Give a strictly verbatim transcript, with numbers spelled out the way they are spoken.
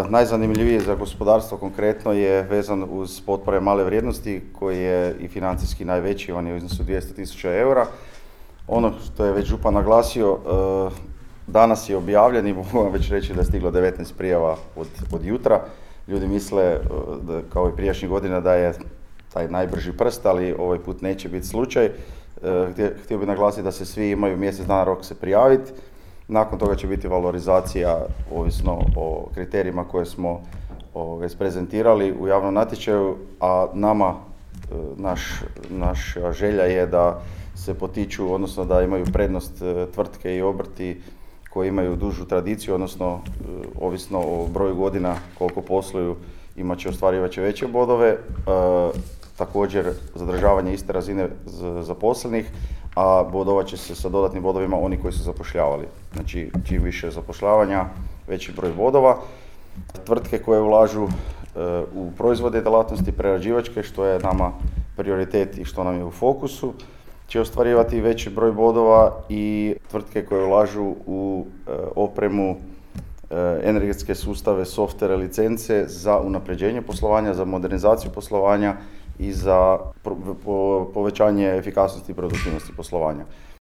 najzanimljivije za gospodarstvo konkretno je vezan uz potpore male vrijednosti koji je i financijski najveći, on je u iznosu dvjesto tisuća eura. Ono što je već župan naglasio, danas je objavljen i mogu vam već reći da je stiglo devetnaest prijava od, od jutra. Ljudi misle, da, kao i prijašnjih godina, da je taj najbrži prst, ali ovaj put neće biti slučaj. Htio bih naglasiti da se svi imaju mjesec dana rok se prijaviti. Nakon toga će biti valorizacija ovisno o kriterijima koje smo isprezentirali u javnom natječaju, a nama naš, naša želja je da se potiču, odnosno da imaju prednost tvrtke i obrti koji imaju dužu tradiciju, odnosno ovisno o broju godina koliko posluju imat će ostvarivaće veće bodove. E, također zadržavanje iste razine zaposlenih, a bodovat će se sa dodatnim bodovima oni koji su zapošljavali. Znači, čim više zapošljavanja, veći broj bodova. Tvrtke koje ulažu e, u proizvode i djelatnosti prerađivačke, što je nama prioritet i što nam je u fokusu, će ostvarivati veći broj bodova, i tvrtke koje ulažu u e, opremu, e, energetske sustave, softvere, licence za unapređenje poslovanja, za modernizaciju poslovanja i za pro, po, povećanje efikasnosti i produktivnosti poslovanja.